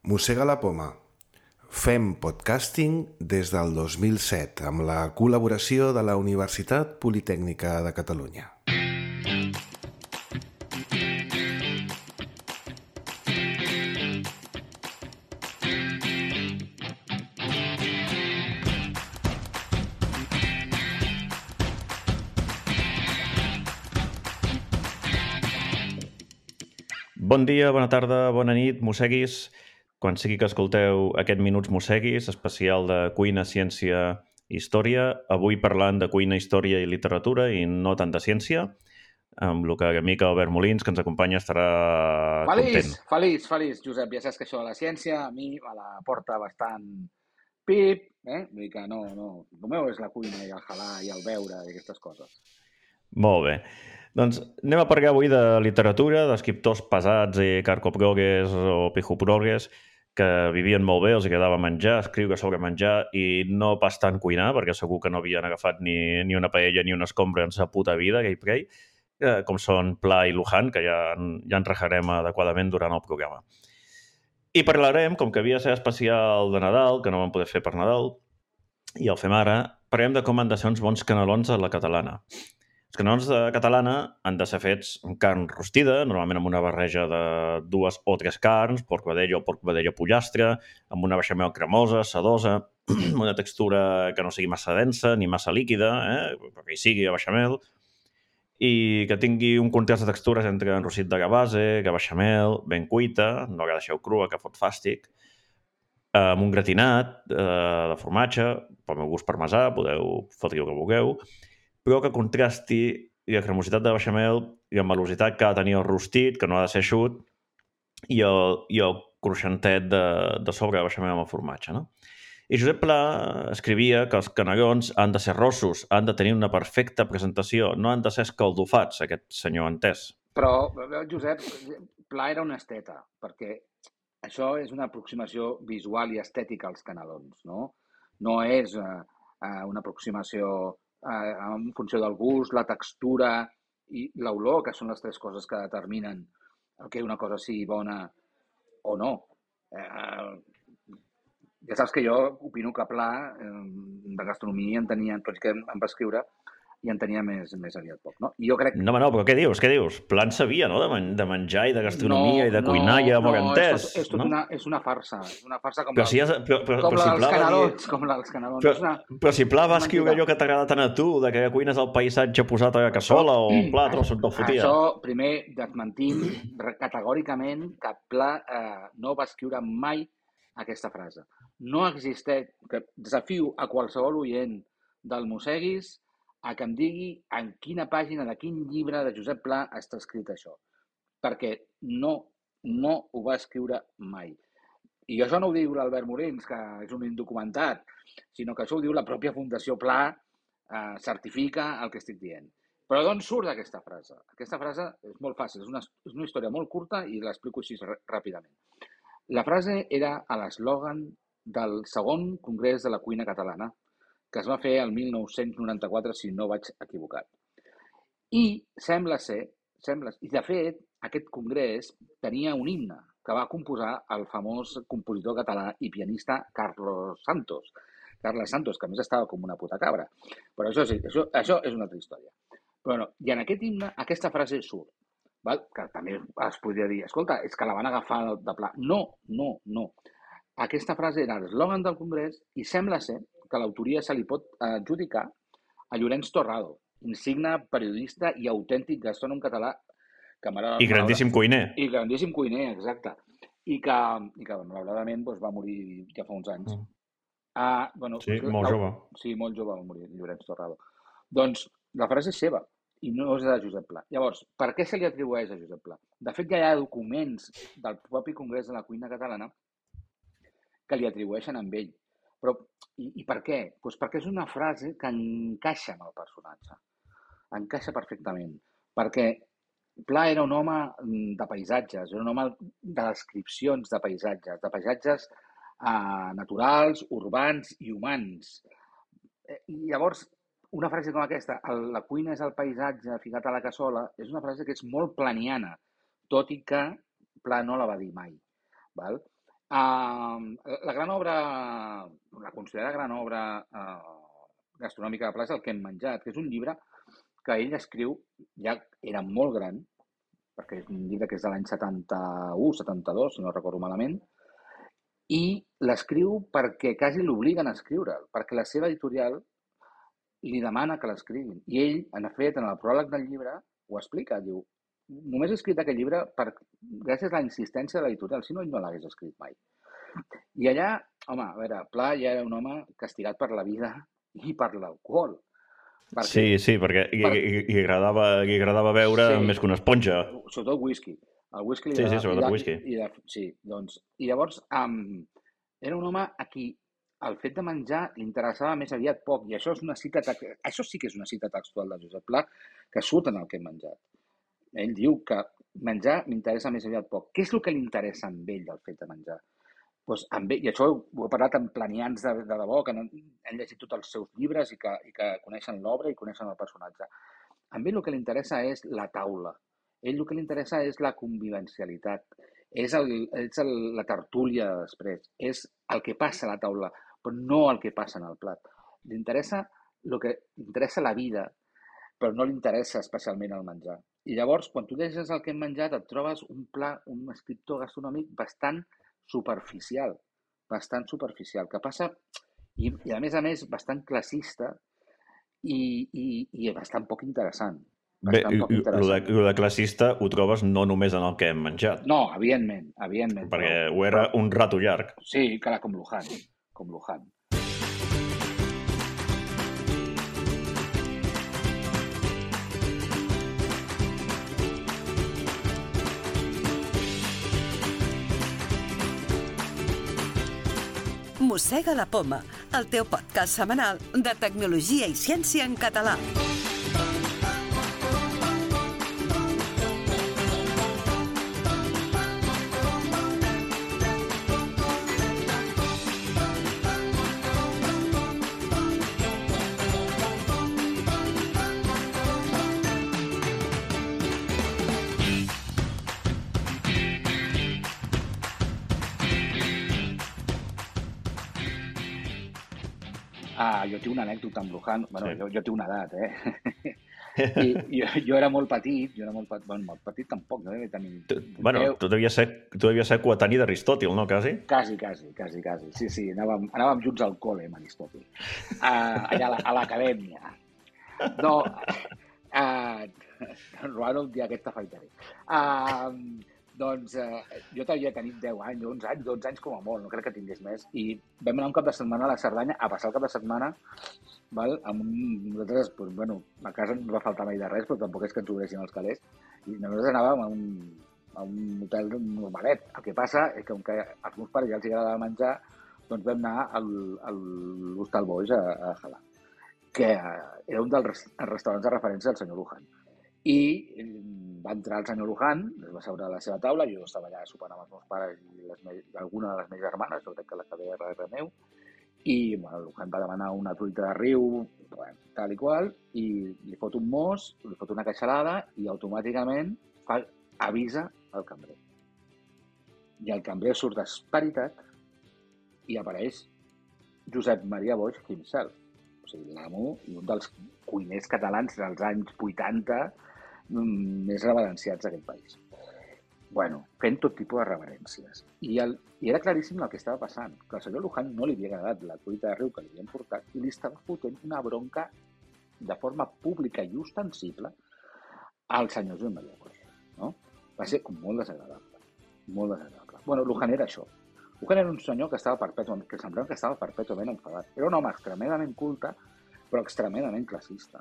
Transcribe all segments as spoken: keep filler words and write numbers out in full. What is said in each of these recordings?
Mossega la poma. Fem podcasting des del dos mil set amb la col·laboració de la Universitat Politècnica de Catalunya. Bon dia, bona tarda, bona nit, mosseguis. Quan sigui que escolteu aquest Minuts Mosseguis, especial de cuina, ciència i història, avui parlant de cuina, història i literatura i no tant de ciència, amb el que l'amic Albert Molins, que ens acompanya, estarà feliç, content. Feliç, feliç, Josep. Ja saps que això de la ciència a mi me la porta bastant pip, eh? Vull dir que no, no. El meu és la cuina i el halà i el beure i aquestes coses. Molt bé. Doncs anem a parlar avui de literatura, d'escriptors pesats i carcoprogues o pijoprogues que vivien molt bé, els agradava menjar, escriure sobre menjar i no pas tant cuinar, perquè segur que no havien agafat ni, ni una paella ni una escombra en sa puta vida, gai prei, eh, com són Pla i Luján, que ja, ja en rejarem adequadament durant el programa. I parlarem, com que havia de ser especial de Nadal, que no vam poder fer per Nadal, i el fem ara, parlem de com han de ser uns bons canelons a la catalana. Els canelons de catalana han de ser fets amb carn rostida, normalment amb una barreja de dues o tres carns, porc vedella o porc vedella pollastre, amb una beixamel cremosa, sedosa, amb una textura que no sigui massa densa ni massa líquida, eh? Perquè hi sigui a beixamel, i que tingui un contrast de textures entre enrossit de base, que beixamel, ben cuita, no que deixeu crua, que fot fàstic, amb un gratinat eh, de formatge, pel meu gust parmesà, podeu fotre el que vulgueu, però que contrasti la cremositat de beixamel i la velocitat que ha de tenir el rostit, que no ha de ser eixut, i el, i el cruixentet de, de sobre de beixamel amb el formatge, no? I Josep Pla escrivia que els canelons han de ser rossos, han de tenir una perfecta presentació, no han de ser escaldofats, aquest senyor entès. Però, Josep, Pla era un esteta, perquè això és una aproximació visual i estètica als canelons, no? No és uh, una aproximació en funció del gust, la textura i l'olor, que són les tres coses que determinen que una cosa sigui bona o no. Eh, ja saps que jo opino que Pla eh, de gastronomia en tenia, tot i que em va escriure, i en tenia més, més aviat poc, no? I jo crec... No, no, però què dius? Què dius? Pla en sabia, no?, de, men de menjar i de gastronomia no, i de no, cuinar i de no, entès, és, tot, és, tot no? una, és una farsa, és una farsa com, però la, si has, però, però, com però la si dels canelons, dir... com la dels canelons. Però, és una, però si Pla va escriure allò que t'agrada tant a tu, de que cuines el paisatge posat a la cassola o el plat o el fotia. Això, primer, desmentim categòricament que Pla eh, no va escriure mai aquesta frase. No existeix, que desafio a qualsevol oient del Mosseguis a que em digui en quina pàgina de quin llibre de Josep Pla està escrit això. Perquè no, no ho va escriure mai. I això no ho diu l'Albert Molins, que és un indocumentat, sinó que això ho diu la pròpia Fundació Pla, eh, certifica el que estic dient. Però d'on surt aquesta frase? Aquesta frase és molt fàcil, és una, és una història molt curta i l'explico així ràpidament. La frase era a l'eslògan del segon Congrés de la Cuina Catalana, que es va fer el mil nou-cents noranta-quatre, si no vaig equivocat. I sembla ser, sembla, i de fet, aquest congrés tenia un himne que va composar el famós compositor català i pianista Carlos Santos. Carles Santos, que a més estava com una puta cabra. Però això sí, això, això és una altra història. Però no, i en aquest himne aquesta frase surt, val? Que també es podria dir, escolta, és que la van agafar de Pla. No, no, no. Aquesta frase era l'eslògan del congrés i sembla ser que l'autoria se li pot adjudicar a Llorenç Torrado, insigne periodista i autèntic gastrònom català. Que I grandíssim cuiner. I grandíssim cuiner, exacte. I que, i que malauradament doncs, va morir ja fa uns anys. Mm. Ah, bueno, sí, molt jove. Sí, molt jove va morir Llorenç Torrado. Doncs la frase és seva i no és de Josep Pla. Llavors, per què se li atribueix a Josep Pla? De fet, ja hi ha documents del propi Congrés de la Cuina Catalana que li atribueixen amb ell. Però, i, i per què? Pues perquè és una frase que encaixa amb el personatge. Encaixa perfectament. Perquè Pla era un home de paisatges, era un home de descripcions de paisatges, de paisatges eh, naturals, urbans i humans. I llavors, una frase com aquesta, la cuina és el paisatge ficat a la cassola, és una frase que és molt planiana, tot i que Pla no la va dir mai. Val? Uh, la gran obra, la considerada gran obra uh, gastronòmica de Pla és El que hem menjat, que és un llibre que ell escriu, ja era molt gran, perquè és un llibre que és de l'any setanta-u, setanta-dos, si no recordo malament, i l'escriu perquè quasi l'obliguen a escriure'l, perquè la seva editorial li demana que l'escriguin. I ell, en fet, en el pròleg del llibre, ho explica, diu, només he escrit aquest llibre per, gràcies a la insistència de l'editorial, si no, ell no l'hagués escrit mai. I allà, home, a veure, Pla ja era un home castigat per la vida i per l'alcohol. Perquè, sí, sí, perquè per... li, li, agradava, li agradava beure sí, més que una esponja. Sobretot whisky. El whisky li sí, agradava, sí, sobretot i whisky. I de, sí, doncs, i llavors um, era un home a qui el fet de menjar li interessava més aviat poc, i això és una cita, això sí que és una cita textual de Josep Pla, que surt en El que hem menjat. Ell diu que menjar m'interessa més aviat poc. Què és el que li interessa amb ell del fet de menjar? Pues amb ell, i això ho he parlat amb planians de, de debò, que han, han llegit tots els seus llibres i que, i que coneixen l'obra i coneixen el personatge. A ell el que li interessa és la taula. Ell el que li interessa és la convivencialitat. És, el, és el, la tertúlia de després. És el que passa a la taula, però no el que passa en el plat. Li interessa el que li interessa la vida, però no li interessa especialment el menjar. I llavors, quan tu llegeixes El que hem menjat, et trobes un pla, un escriptor gastronòmic bastant superficial, bastant superficial, que passa, i, i a més a més, bastant classista i, i, i bastant poc interessant. Bastant Bé, poc interessant. Lo de, de classista ho trobes no només en El que hem menjat. No, evidentment, evidentment. Perquè però, ho era però, un rato llarg. Sí, clar, com Luján, com Luján. Mossega la Poma, el teu podcast setmanal de tecnologia i ciència en català. Ah, jo tinc una anècdota amb Luján. Bueno, sí. jo, jo tinc una edat, eh? I jo, jo era molt petit, jo era molt petit, bueno, molt petit tampoc, no devia tenir... Tu, bueno, tu devies ser, tu devies ser coetani d'Aristòtil, no, quasi? Quasi, quasi, quasi, quasi. Sí, sí, anàvem, anàvem junts al col·le amb Aristòtil, uh, allà a l'acadèmia. No, uh, Roano, un dia aquest t'afaitaré. Uh, doncs uh, jo t'havia tenit deu anys, onze anys, dotze anys com a molt, no crec que tingués més, i vam anar un cap de setmana a la Cerdanya, a passar el cap de setmana, val? Amb un, nosaltres, pues, bueno, a casa no ens va faltar mai de res, però tampoc és que ens obressin els calés, i nosaltres anàvem a un, a un hotel normalet. El que passa és que, com que als meus pares ja els agradava menjar, doncs vam anar al, a l'Hostal Boix a, a Jalà, que era un dels restaurants de referència del senyor Luján. I va entrar el senyor Luján, es va seure a la seva taula, jo estava allà sopant amb els meus pares i les me... alguna de les meves germanes, jo crec que la que ve darrere meu, i bueno, el Luján va demanar una truita de riu, bueno, tal i qual, i li fot un mos, li fot una queixalada i automàticament fa, avisa el cambrer. I el cambrer surt esperitat i apareix Josep Maria Boix himself, o sigui, l'amo i un dels cuiners catalans dels anys vuitanta més reverenciats d'aquest país. Bueno, fent tot tipus de reverències. I, el, I era claríssim el que estava passant, que al senyor Luján no li havia agradat la truita de riu que li havien portat i li estava fotent una bronca de forma pública i ostensible al senyor Joan Maria Boix, no? Va ser com molt desagradable, molt desagradable. Bueno, Luján era això. Luján era un senyor que estava perpètuament, que semblava que estava perpètuament enfadat. Era un home extremadament culte, però extremadament classista.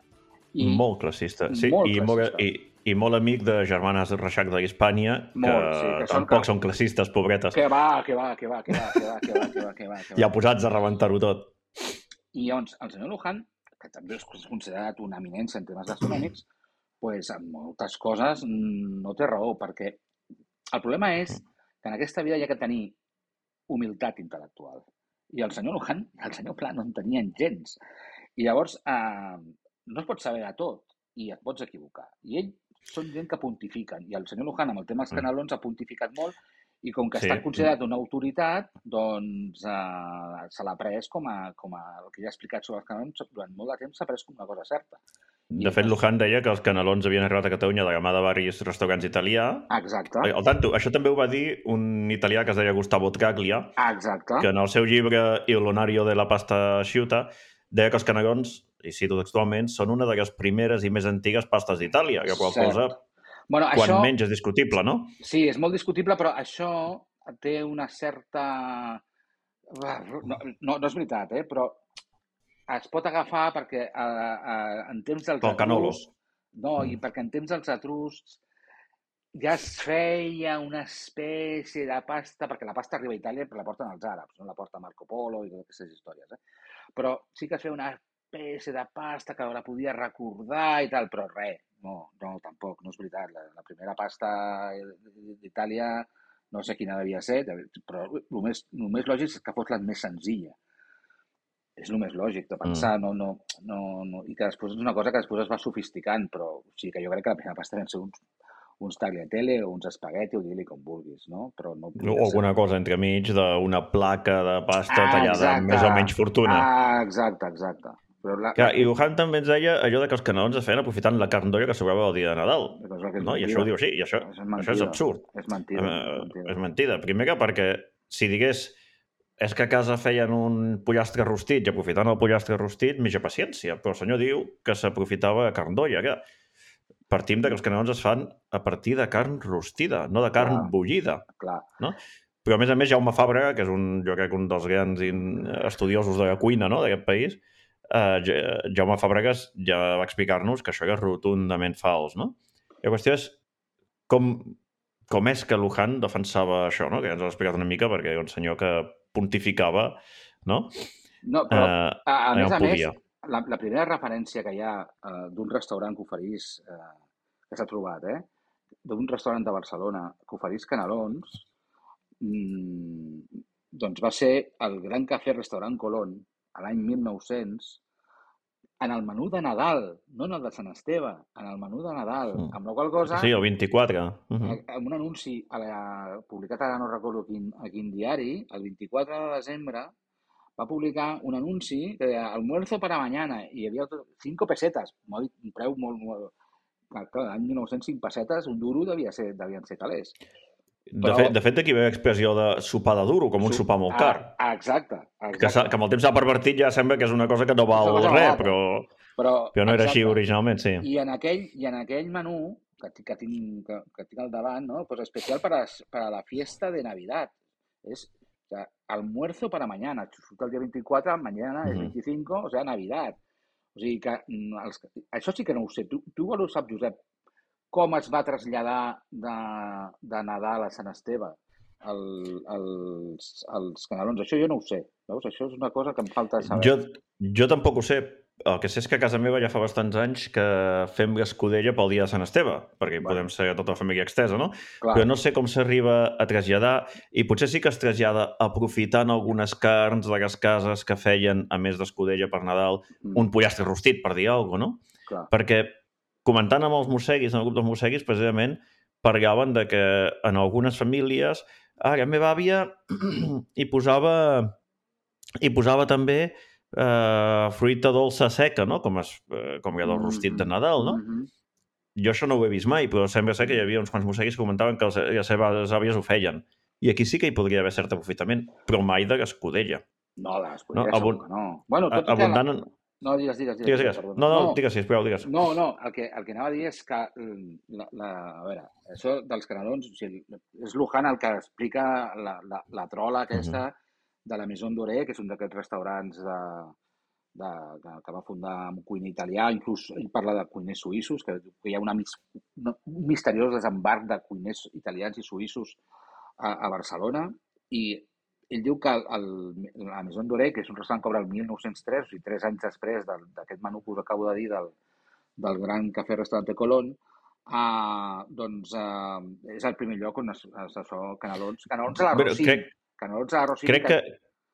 I molt classista, sí, molt i, classista. Molt, i, i molt amic de germanes Reixac d'Hispània, que, sí, que tampoc són, que... són classistes, pobretes. Que va, que va, que va, que va, que va, que va, que va, que va, que va. Ja posats a rebentar-ho tot. I llavors, el senyor Luján, que també és considerat una eminència en temes gastronòmics, pues, en moltes coses no té raó, perquè el problema és que en aquesta vida hi ha que tenir humilitat intel·lectual. I el senyor Luján i el senyor Pla no en tenien gens. I llavors, eh, no es pot saber de tot i et pots equivocar. I ells són gent que pontifiquen. I el senyor Luján, amb el tema dels canelons, ha pontificat molt I com que Sí. està considerat una autoritat, doncs eh, se l'ha pres com a, com a... El que ja he explicat sobre els canelons, durant molt de temps s'ha pres com una cosa certa. De fet, Luján deia que els canelons havien arribat a Catalunya de la mà de varis restaurants italià. Exacte. Al tanto, això també ho va dir un italià que es deia Gustavo Traglia, Exacte. que en el seu llibre Il Lonario de la pasta asciutta deia que els canelons, i cito textualment, són una de les primeres i més antigues pastes d'Itàlia, que qual cosa, bueno, quan això, menys és discutible, no? Sí, és molt discutible, però això té una certa... No, no, no és veritat, eh? Però es pot agafar perquè eh, eh, en temps dels Pel canolo. etruscs... No, mm. i perquè en temps dels etruscs ja es feia una espècie de pasta, perquè la pasta arriba a Itàlia però la porten els àrabs, no la porta Marco Polo i totes aquestes històries, eh? Però sí que es feia una espècie de pasta que la podia recordar i tal, però res, no, no, tampoc, no és veritat. La, la primera pasta d'Itàlia, no sé quina devia ser, però el més, el més lògic és que fos la més senzilla. És el més lògic de pensar, mm. no, no, no, no, i que després és una cosa que després es va sofisticant, però o sigui que jo crec que la primera pasta van ser uns, uns tagliatelle o uns espagueti, o digui-li com vulguis, no? Però no o alguna ser... cosa entremig d'una placa de pasta ah, tallada exacte. amb més o menys fortuna. Ah, exacte, exacte. Però la... Clar, i Luján també ens deia allò de que els canelons es feien aprofitant la carn d'olla que sobrava el dia de Nadal. No? I això ho diu així, i això és, això és absurd. És mentida. Uh, és mentida. És mentida. Primer que perquè si digués és que a casa feien un pollastre rostit i aprofitant el pollastre rostit, mitja paciència. Però el senyor diu que s'aprofitava carn d'olla. Que partim de que els canelons es fan a partir de carn rostida, no de carn clar, bullida. Clar. No? Però a més a més Jaume Fàbrega, que és un, jo crec, un dels grans estudiosos de la cuina, no?, d'aquest país, Uh, Jaume Fàbregas ja va explicar-nos que això era rotundament fals, no? I la qüestió és com, com és que Luján defensava això, no? Que ja ens ho ha explicat una mica perquè era un senyor que pontificava, no? No, però uh, a, a més a més, la, la primera referència que hi ha uh, d'un restaurant que oferís, uh, que s'ha trobat, eh? d'un restaurant de Barcelona que oferís canelons, mmm, doncs va ser el Gran Cafè Restaurant Colón, a l'any mil nou-cents, en el menú de Nadal, no en el de Sant Esteve, en el menú de Nadal, mm. amb la qual cosa... Sí, el vint-i-quatre. Uh -huh. Amb un anunci a la, publicat ara no recordo quin, a quin diari, el vint-i-quatre de desembre, va publicar un anunci que deia almuerzo para mañana, i hi havia cinco pesetes, un preu molt... molt clar, l'any mil nou-cents, cinc pessetes, un duro devia ser, devien ser calés. De, Però... fet, de fet, aquí ve l'expressió de sopar de duro, com un sopar molt car. Ah, exacte. exacte. Que, que amb el temps s'ha pervertit ja sembla que és una cosa que no val no res, però, però, però no era exacte. Així originalment, sí. I en aquell, i en aquell menú que, que, tinc, que, que tinc al davant, no? Pues especial para, para la fiesta de Navidad. És o sea, almuerzo para mañana. Surt el dia vint-i-quatre, mañana és vint-i-cinc, o sea, Navidad. O sigui que els, això sí que no ho sé. Tu, tu ho saps, Josep, com es va traslladar de, de Nadal a Sant Esteve el, els, els canelons. Això jo no ho sé. Veus? Això és una cosa que em falta saber. Jo, jo tampoc ho sé. El que sé és que a casa meva ja fa bastants anys que fem l'escudella pel dia de Sant Esteve, perquè bueno. podem ser tota la família extesa, no? Clar. Però no sé com s'arriba a traslladar, i potser sí que es trasllada aprofitant algunes carns de les cases que feien, a més d'escudella per Nadal, mm. un pollastre rostit, per dir alguna cosa, no? Clar. Perquè comentant amb els mosseguis, en el grup dels mosseguis, precisament, parlaven de que en algunes famílies, ah, la meva àvia hi posava, hi posava també eh, fruita dolça seca, no? Com, es, eh, com era el rostit de Nadal, no? Mm-hmm. Jo això no ho he vist mai, però sembla ser que hi havia uns quants mosseguis que comentaven que les seves àvies ho feien. I aquí sí que hi podria haver cert aprofitament, però mai de l'escudella. No, l'escudella no, abund... segur que no. Bueno, tot abundant... la... No, digues, digues. digues, digues. digues. No, no, no, digues, sisplau, digues. No, no, el que, el que anava a dir és que, la, la, a veure, això dels canelons, o sigui, és Luján el que explica la, la, la trola aquesta uh-huh. de la Maison Doré, que és un d'aquests restaurants de, de, de, que va fundar un cuiner italià, inclús ell parla de cuiners suïssos, que, que hi ha una, un misteriós desembarc de cuiners italians i suïssos a, a Barcelona, i ell diu que el, la Maison Doré, que és un restaurant que obre el mil nou-cents tres, o sigui, tres anys després d'aquest menú que us acabo de dir del, del Gran Cafè Restaurante Colón, uh, doncs uh, és el primer lloc on es, es, es canelons, canelons a la Rossini. Crec, canelons a la Rossini. Crec que,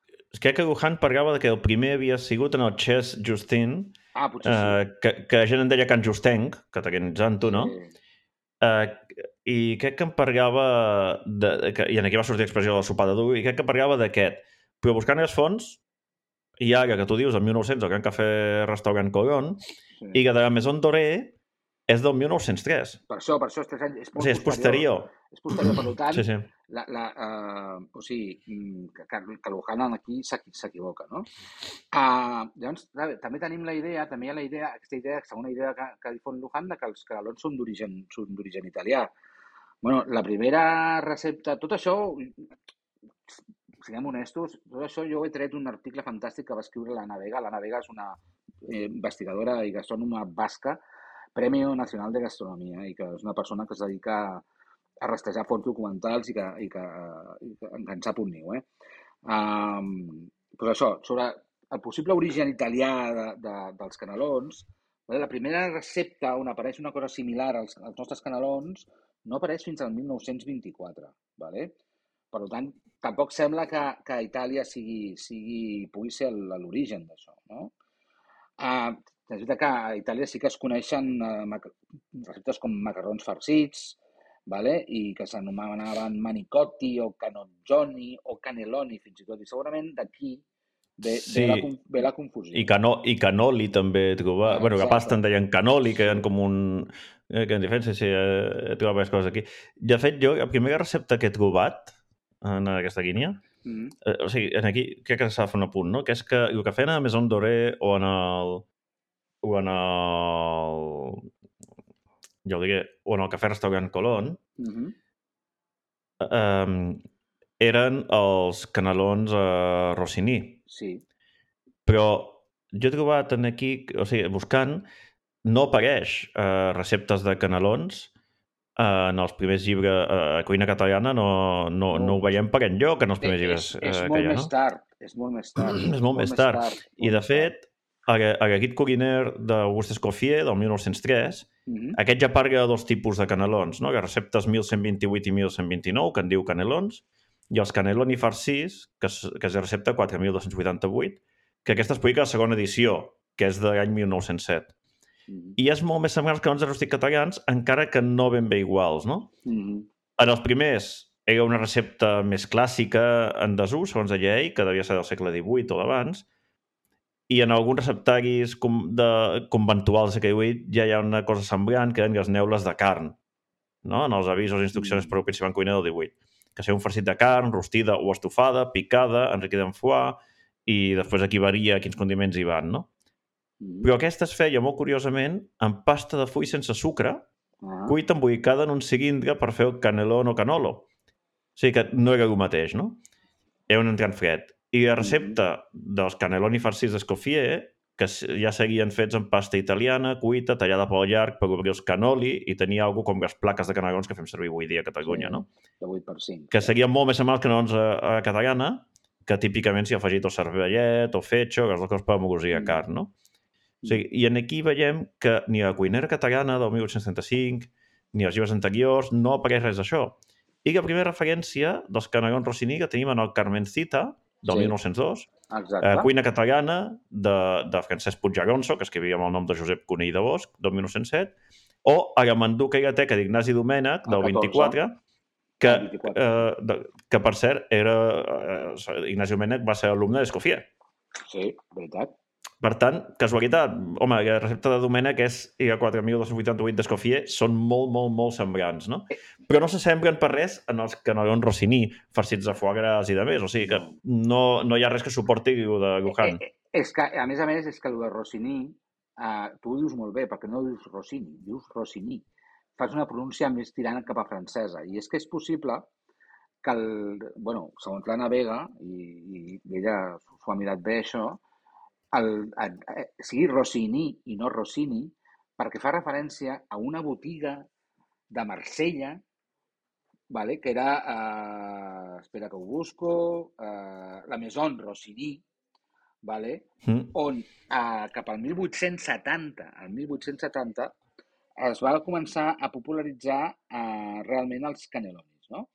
que, crec que Luján parlava de que el primer havia sigut en el Chess Justin, ah, potser sí. uh, que, que la gent en deia Can Justenc, catalanitzant-ho, no? Sí. Uh, i crec que em parlava, de, que, i aquí va sortir l'expressió del sopar de dur, i crec que em parlava d'aquest. Però buscant els fons, i ara que tu dius, el mil nou-cents, el Gran Cafè Restaurant Colón, Sí. i que de la Maison Doré és del mil nou-cents tres. Per això, per això, és, tres anys, és O molt sigui, és posterior. És posterior, per tant, Sí, sí. La, la, uh, o sigui, que, que l'Ohanan aquí s'equivoca, no? Uh, llavors, també tenim la idea, també hi ha la idea, aquesta idea, segona idea que, que difon Lujan, de que els canelons són d'origen italià. Bueno, la primera recepta, tot això, siguem honestos, tot això jo he tret un article fantàstic que va escriure l'Anna Vega. L'Anna Vega és una eh, investigadora i gastrònoma basca, Premio Nacional de Gastronomia, i que és una persona que es dedica a, a rastrejar fons documentals i que, i que, i que en sap un niu. Eh? Um, pues això, sobre el possible origen italià de, de, dels canelons, la primera recepta on apareix una cosa similar als, als nostres canelons no apareix fins al mil nou-cents vint-i-quatre. Vale? Per tant, tampoc sembla que, que a Itàlia sigui, sigui, pugui ser l'origen d'això. No? Uh, és veritat que a Itàlia sí que es coneixen uh, receptes com macarrons farcits, vale? I que s'anomenaven manicotti o canoggioni o caneloni, fins i tot. I segurament d'aquí ve, Sí. ve, la, ve la confusió. I, cano, i canoli també he trobat. Ah, bueno, que pasta en deien canoli, que eren com un... Eh, que en diferència, sí, he trobat diverses coses aquí. De fet, jo, la primera recepta que he trobat en aquesta línia, mm-hmm. eh, o sigui, en aquí crec que s'ha de fer un apunt, no? Que és que el que feien a la Maison Doré o en el... o en el... jo ho diré, o en el Cafè Restaurant Colón, mm-hmm. eh, eren els canelons eh, Rossini. Sí. Però jo he trobat en aquí, o sigui, buscant, no apareix eh, receptes de canelons eh, en els primers llibres, eh, cuina catalana, no, no, no, no ho veiem per enlloc en els primers llibres eh, és, és eh, que hi ha, més no? Tard, és molt més tard. És molt més tard. tard. I, de fet, a la Guide culinaire d'Auguste Escoffier, del mil nou-cents tres, mm-hmm. aquest ja parla de dos tipus de canelons, no? Les receptes mil cent vint-i-vuit i mil cent vint-i-nou, que en diu canelons, i els caneloni farcís, que és, que és la recepta quatre mil dos-cents vuitanta-vuit, que aquesta es publica a la segona edició, que és de l'any mil nou-cents set. Mm-hmm. I és molt més semblant als canelons rústics catalans, encara que no ben bé iguals, no? Mm-hmm. En els primers era una recepta més clàssica en desús, segons deia ell, que devia ser del segle divuit o d'abans, i en alguns receptaris com de, conventuals del segle divuit ja hi ha una cosa semblant, que eren les neules de carn, no? En els avisos i instruccions per al principal cuiner del divuit. Que sigui un farcit de carn, rostida o estofada, picada, enriquida en foie, i després aquí varia quins condiments hi van, no? Mm. Però aquesta es feia, molt curiosament, amb pasta de full sense sucre, ah. cuita embolicada en un cilindre per fer el canelón o canolo. O sigui que no era el mateix, no? Era un entrant fred. I la recepta mm. dels caneloni farcits d'Escoffier, que ja seguien fets en pasta italiana, cuita, tallada pel llarg per obrir els canoli, i tenia alguna com les plaques de canelons que fem servir avui dia a Catalunya, sí, no? De vuit per cinc. Que serien molt més semblants canelons a, a catalana, que típicament s'hi ha afegit el cervellet o fetge, les dues coses per amorosir a carn, no? Mm. O sigui, i en aquí veiem que ni a la cuinera catalana del mil vuit-cents trenta-cinc, ni als llibres anteriors, no apareix res d'això. I la primera referència dels canelons Rossini que tenim en el Carmencita, del sí. mil nou-cents dos, eh, cuina catalana de, de Francesc Puiggeronso, que escrivia amb el nom de Josep Conill de Bosch, del mil nou-cents set, o a la Manduca i la Teca d'Ignasi Domènec, del vint-i-quatre, que, eh, de, que per cert, era, eh, Ignasi Domènec va ser alumne d'Escoffier. Sí, veritat. Per tant, casualitat, home, la recepta de Domènec és i la quatre mil dos-cents vuitanta-vuit d'Escoffier són molt, molt, molt semblants, no? Però no s'assemblen per res en els canelons Rossini, farcits de foie gras i de més, o sigui que no, no hi ha res que suporti el de Lujan. Eh, eh, és que, a més a més, és que el de Rossini, eh, tu ho dius molt bé, perquè no dius Rossini, dius Rossini. Fas una pronúncia més tirant cap a francesa, i és que és possible que, el, bueno, segons l'Anna Vega, i, i ella s'ho ha mirat bé això, el, el, el, sigui Rossini i no Rossini, perquè fa referència a una botiga de Marsella, vale, que era, eh, espera que ho busco, eh, la Maison Rossini, vale, mm. on eh, cap al mil vuit-cents setanta, al mil vuit-cents setanta, es va començar a popularitzar eh, realment els canelonis, no?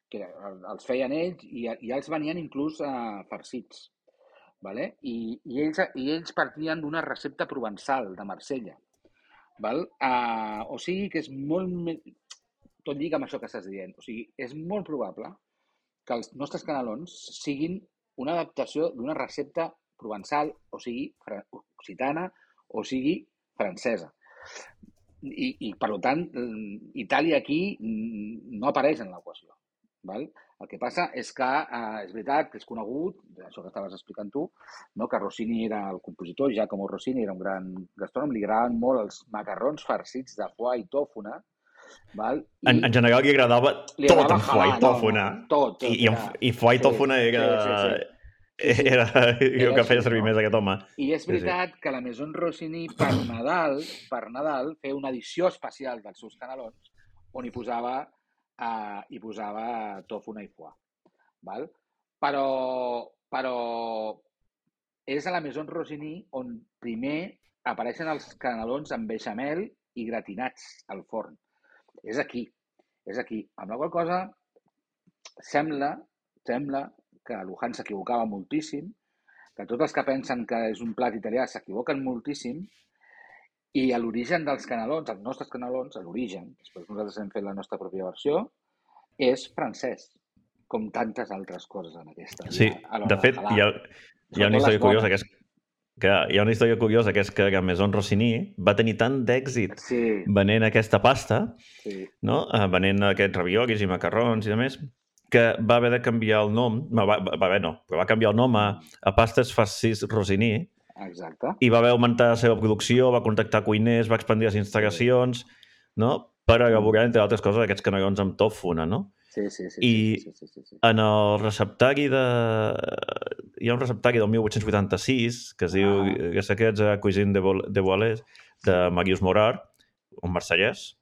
Que els feien ells i, i els venien inclús eh, farcits. Vale? I, i, ells, i ells partien d'una recepta provençal de Marsella. Val? Uh, o sigui que és molt més... tot lliga amb això que estàs dient. O sigui, és molt probable que els nostres canelons siguin una adaptació d'una recepta provençal, o sigui, occitana, o sigui, francesa. I, i per tant, Itàlia aquí no apareix en l'equació. Val? El que passa és que eh, és veritat que és conegut, això que estaves explicant tu, no? Que Rossini era el compositor, Giacomo Rossini era un gran gastrònom, li agradaven molt els macarrons farcits de foie i tòfona. Val? I en, en general li agradava li tot agradava amb foie i tòfona. No, no, tot, tot, I, i, era... i foie i tòfona sí, era... Sí, sí, sí. Sí, sí. Era, era el que feia així, servir no? més aquest home. I és veritat sí, sí. que la Maison Rossini per Nadal, per Nadal feia una edició especial dels seus canelons on hi posava, uh, hi posava tòfona i foie. Val? Però, però és a la Maison Rossini on primer apareixen els canelons amb beixamel i gratinats al forn. És aquí, és aquí. Amb la qual cosa sembla, sembla que Luján s'equivocava moltíssim, que tots els que pensen que és un plat italià s'equivoquen moltíssim, i a l'origen dels canelons, els nostres canelons, a l'origen, després nosaltres hem fet la nostra pròpia versió, és francès, com tantes altres coses en aquesta. Sí, de fet, hi ha, hi ha una història curiosa que és que hi ha una història curiosa que és que la Maison Rossini va tenir tant d'èxit sí. venent aquesta pasta, sí. no? venent aquests raviolis i macarrons i demés, que va haver de canviar el nom, va, va, va haver no, però va canviar el nom a, a Pastes Farcits Rossini. Exacte. I va haver augmentar la seva producció, va contactar cuiners, va expandir les instal·lacions, no? Per elaborar, entre altres coses, aquests canelons amb tòfona, no? Sí, sí, sí. I sí, sí, sí, sí. en el receptari de... Hi ha un receptari del mil vuit-cents vuitanta-sis que es diu ah. que secrets a Cuisine de, Bo... de Boalès, de Marius Morard, un marsellès.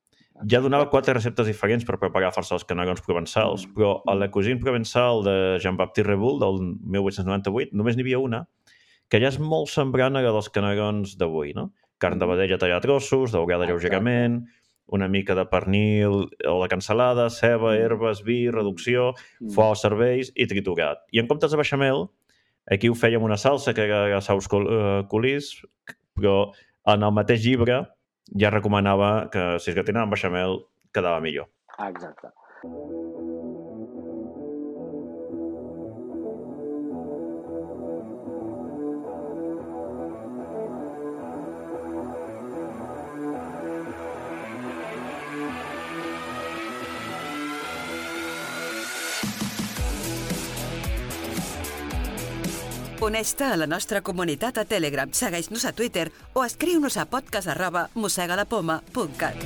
Ja donava quatre receptes diferents per preparar força els canelons provençals, mm. però a la Cuisine provençal de Jean-Baptiste Rebull, del mil vuit-cents noranta-vuit, només n'hi havia una, que ja és molt semblant a la dels canelons d'avui, no? Carn de vedella tallada a trossos, daurada lleugerament, una mica de pernil o de cansalada, ceba, herbes, vi, reducció, mm. foie als cervells i triturat. I en comptes de beixamel, aquí ho fèiem una salsa que era saus colís, però en el mateix llibre ja recomanava que si es gratinava amb beixamel quedava millor. Exacte. Uneix-te a la nostra comunitat a Telegram, segueix-nos a Twitter o escriu-nos a podcast arroba mossegalapoma punt cat.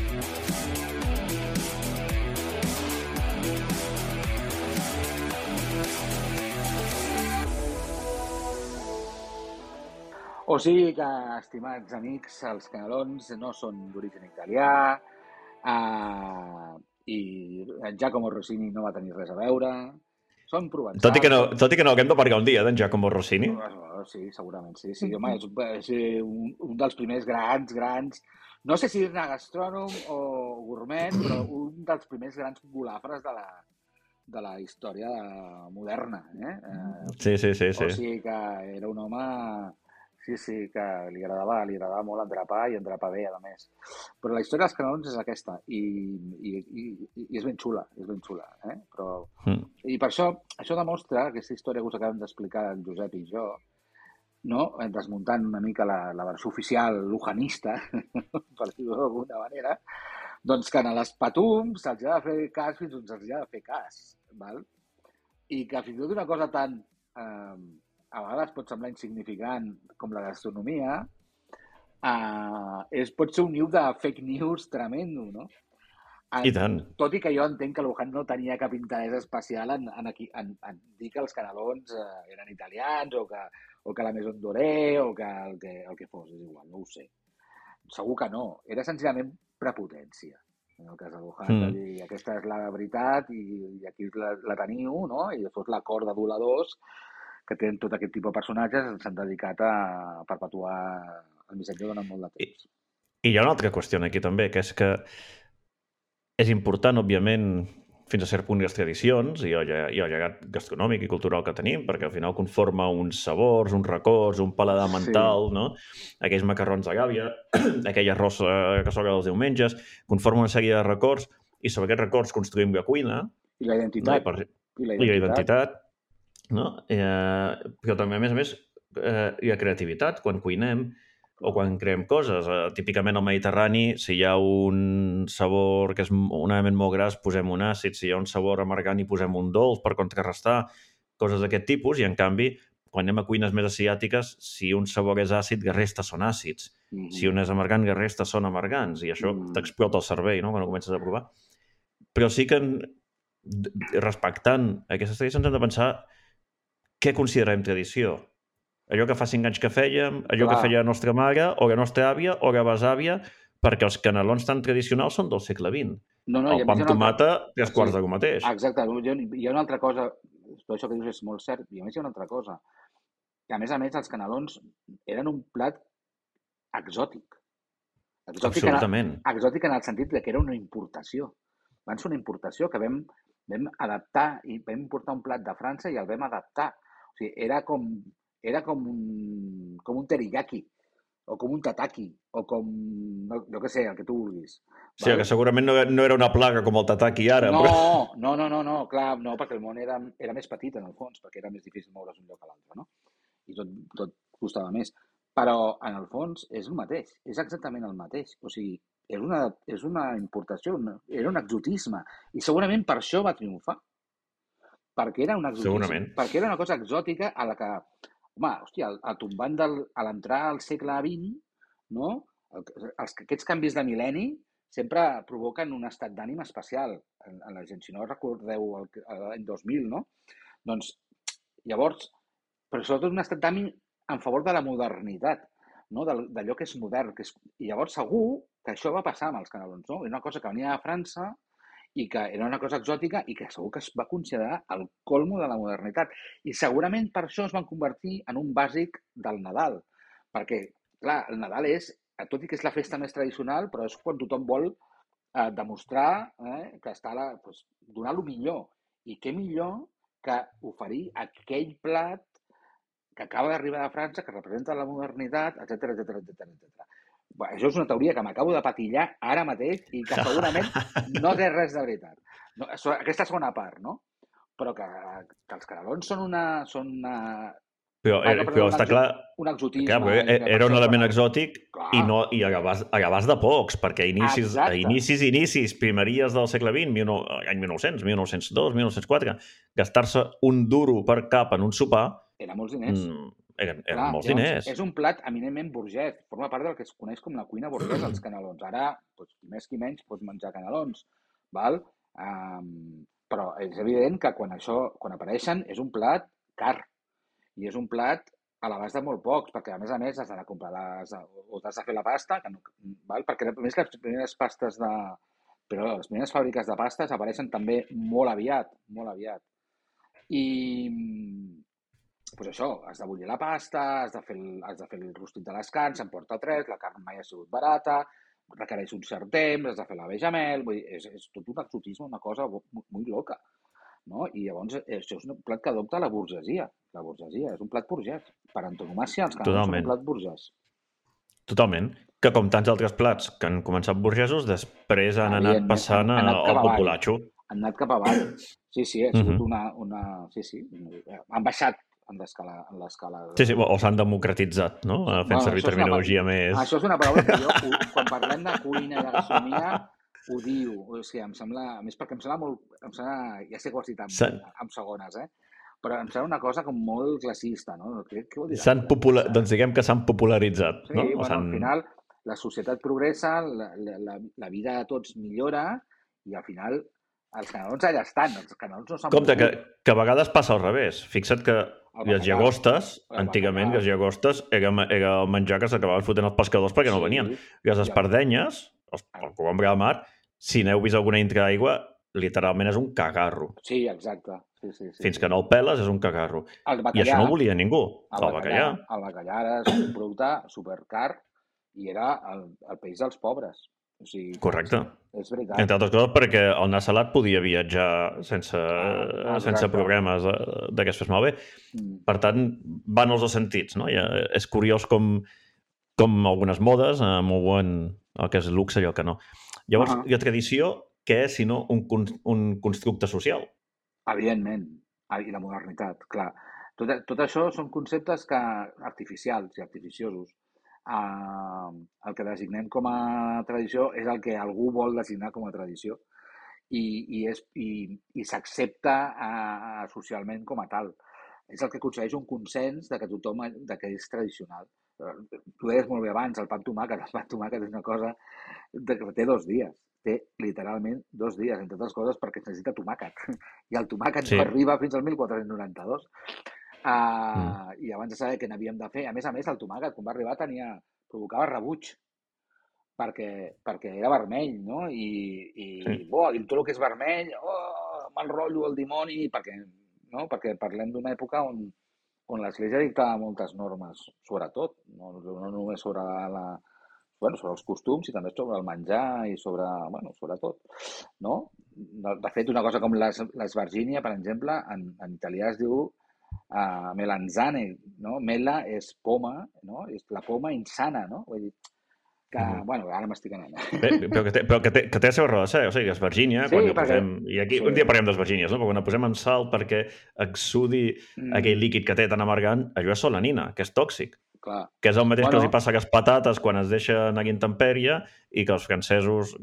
O sigui que, estimats amics, els canelons no són d'origen italià uh, i Giacomo Rossini no va tenir res a veure. Són provençals. Tot i que no, tot i que no haguem de parlar un dia d'en Giacomo Rossini. Sí, segurament, sí. sí. Home, és, és un, un dels primers grans, grans... No sé si és-ne gastrònom o gourmet, però un dels primers grans golafres de la, de la història moderna. Eh? Sí, sí, sí, sí. O sigui que era un home... Sí, sí, que li agradava, li agradava molt endrapar i endrapar bé, a més. Però la història dels canelons és aquesta i, i, i, i és ben xula, és ben xula. Eh? Però... Mm. I per això, això demostra aquesta història que us acabem d'explicar en Josep i jo, no? Desmuntant una mica la, la versió oficial lujanista, per dir-ho d'alguna manera, doncs que a les patums se'ls ha de fer cas fins on se'ls ha de fer cas. Val? I que fins i tot una cosa tan... Eh, a vegades pot semblar insignificant com la gastronomia, uh, és, pot ser un niu de fake news tremendo, no? En, I tant. Tot i que jo entenc que Luján no tenia cap interès especial en, en, aquí, en, en dir que els canelons uh, eren italians o que, o que la Maison Doré o que el, que el que fos, és igual, no ho sé. Segur que no. Era senzillament prepotència. En el cas de Luján, mm. de dir, aquesta és la veritat i, i aquí la, la teniu, no? I després l'acord d'aduladors que tenen tot aquest tipus de personatges, s'han dedicat a perpetuar el missatge durant molt de temps. I, I hi ha una altra qüestió aquí també, que és que és important, òbviament, fins a cert punt les tradicions i el, i el llegat gastronòmic i cultural que tenim, perquè al final conforma uns sabors, uns records, un paladar mental, sí. no? Aquells macarrons de gàbia, aquell arròs que s'obre els diumenges, conforma una sèrie de records i sobre aquests records construïm la cuina. I la identitat. No? I, per... I la identitat. I la identitat. No? Eh, però també, a més a més, eh, hi ha creativitat quan cuinem o quan creem coses. Eh, típicament al Mediterrani, si hi ha un sabor que és un element molt gras, posem un àcid. Si hi ha un sabor amargant, hi posem un dolç per contrarrestar coses d'aquest tipus. I, en canvi, quan anem a cuines més asiàtiques, si un sabor és àcid, la resta són àcids. Mm-hmm. Si un és amargant, la resta són amargants. I això mm. t'explota el cervell, no?, quan ho comences a provar. Però sí que, respectant aquestes tradicions, hem de pensar què considerem tradició. Allò que fa cinc anys que fèiem, allò Clar. que feia la nostra mare, o la nostra àvia, o la besàvia, perquè els canelons tan tradicionals són del segle vint. No, no, el pa amb tomata, altra... tres quarts sí. del mateix. Exacte. Hi ha una altra cosa, tot això que dius és molt cert, i a més hi ha una altra cosa. I a més a més, els canelons eren un plat exòtic. Exòtic Absolutament. En el, exòtic en el sentit que era una importació. Van ser una importació que vam, vam adaptar i vam importar un plat de França i el vam adaptar. O sigui, era com, era com un, com un teriyaki, o com un tataki, o com, no, jo què sé, el que tu vulguis. Sí, val? Que segurament no, no era una plaga com el tataki ara. No, però... no, no, no, no, clar, no, perquè el món era, era més petit en el fons, perquè era més difícil moure's d'un lloc a l'altre, no? I tot, tot costava més. Però, en el fons, és el mateix, és exactament el mateix. O sigui, és una, és una importació, una, era un exotisme. I segurament per això va triomfar. Perquè era un exotisme. Segurament. Perquè era una cosa exòtica a la que, home, hòstia, a tombant del, a l'entrar al segle vint, no? Els, aquests canvis de mil·lenni sempre provoquen un estat d'ànim especial en, en la gent. Si no recordeu l'any dos mil, no? Doncs, llavors, però sobretot un estat d'ànim en favor de la modernitat, no? D'allò que és modern. Que és... I llavors segur que això va passar amb els canelons, no? Era una cosa que venia de França i que era una cosa exòtica i que segur que es va considerar el colmo de la modernitat. I segurament per això es van convertir en un bàsic del Nadal. Perquè, clar, el Nadal és, tot i que és la festa més tradicional, però és quan tothom vol eh, demostrar eh, que està a la, doncs, donar el millor. I què millor que oferir aquell plat que acaba d'arribar de França, que representa la modernitat, etcètera, etcètera, etcètera. Bé, això és una teoria que m'acabo de patillar ara mateix i que segurament no té res de veritat. No, aquesta segona part, no? Però que, que els canelons són una... Són una... Però, ah, no, però un està exo... clar... Un exotisme. Clar, era, era un element exòtic clar. i, no, i a l'abast de pocs, perquè a inicis, a inicis, inicis, primeries del segle vint, any mil nou-cents, mil nou-cents dos, mil nou-cents quatre, gastar-se un duro per cap en un sopar... Eren molts diners. Mm, eren eren clar, molts llavors, diners. És un plat eminentment burgès. Forma part del que es coneix com la cuina burgesa, els canelons. Ara, doncs, qui més qui menys, pots menjar canelons. Val? Um, però és evident que quan això, quan apareixen, és un plat car. I és un plat a l'abast de molt pocs, perquè a més a més has d'anar a comprar les, o t'has de fer la pasta, que no, val? Perquè a més les primeres pastes de... Però les primeres fàbriques de pastes apareixen també molt aviat, molt aviat. I... Pues això, has de bullir la pasta, has de fer el, has de fer el rostit de les carns, se'n porta tres, la carn mai ha sigut barata, requereix un cert temps, has de fer la bechamel, vull dir, és, és tot un exotisme, una cosa molt, molt loca, no? I llavors això és un plat que adopta la burgesia, la burgesia, és un plat burgès. Per antonomàcia, els canelons són un plat burgès. Totalment. Que com tants altres plats que han començat burgesos, després han anat passant han, han anat al populatxo. Han anat cap avall. Sí, sí, ha sigut una, una... Sí, sí, han baixat en l'escala... En l'escala de... Sí, sí, o s'han democratitzat, no? Fent bueno, servir terminologia una... més... Això és una paraula que jo, quan parlem de cuina i de gastronomia, ho diu. O sigui, em sembla... A més, perquè em sembla molt... Em sembla... Ja sé que ho has dit en, San... en segones, eh? Però em sembla una cosa com molt classista, no? Què, què vol dir? S'han popular... Doncs diguem que s'han popularitzat, sí, no? Sí, bueno, s'han... al final la societat progressa, la, la, la vida de tots millora i al final els canelons allà estan, els canelons no s'han Compte, que, que a vegades passa al revés. Fixa't que les llagostes, antigament les llagostes era, era el menjar que s'acabaven fotent els pescadors perquè sí, no venien. Les espardenyes, el, el cogombre de mar, si n'heu vist alguna dintre aigua, literalment és un cagarro. Sí, exacte. Sí, sí, sí, Fins sí. que no el peles és un cagarro. Bacallà, I això no ho volia ningú. El, el bacallà. El bacallà era un producte supercar i era el, el peix dels pobres. O sigui, correcte. És veritat. Entre altres coses perquè el nas salat podia viatjar sense, ah, sense problemes de, de que es fes malbé. Mm. Per tant, van els dos sentits, no? I és curiós com, com algunes modes eh, mouen el que és luxe i el que no. Llavors, uh -huh. la tradició què és, sinó un, un constructe social. Evidentment. I la modernitat, clar. Tot, tot això són conceptes que, artificials i artificiosos. Uh, el que designem com a tradició és el que algú vol designar com a tradició i, i, és, i, i s'accepta uh, socialment com a tal. És el que aconsegueix un consens de que tothom de que és tradicional. Tu deies molt bé abans, el pa amb tomàquet. El pa amb tomàquet és una cosa que té dos dies. Té literalment dos dies, entre altres coses, perquè es necessita tomàquet. I el tomàquet sí. no arriba fins al mil quatre-cents noranta-dos. Uh, mm. I abans de saber què n'havíem de fer, a més a més, el tomàquet, quan va arribar, tenia, provocava rebuig, perquè, perquè era vermell, no? I, i sí. oh, tot el que és vermell, oh, mal rotllo, el dimoni, perquè, no? Perquè parlem d'una època on, on l'Església dictava moltes normes, sobretot, no, no només sobre la... Bueno, sobre els costums i també sobre el menjar i sobre, bueno, sobre tot, no? De fet, una cosa com l'esvergínia, per exemple, en, en italià es diu uh, melanzane, no? Mela és poma, no? És la poma insana, no? Vull dir que, mm. bueno, ara m'estic anant. Bé, però que té, però que té, que té la seva raó de ser, o sigui, esvergínia, sí, quan perquè... posem... I aquí sí. un dia parlem d'esvergínies, no? Però quan posem en sal perquè exsudi mm. aquell líquid que té tan amargant, allò és solanina, que és tòxic. Clar. Que és el mateix bueno. que els hi passa a les patates quan es deixen a intempèrie i que els francesos,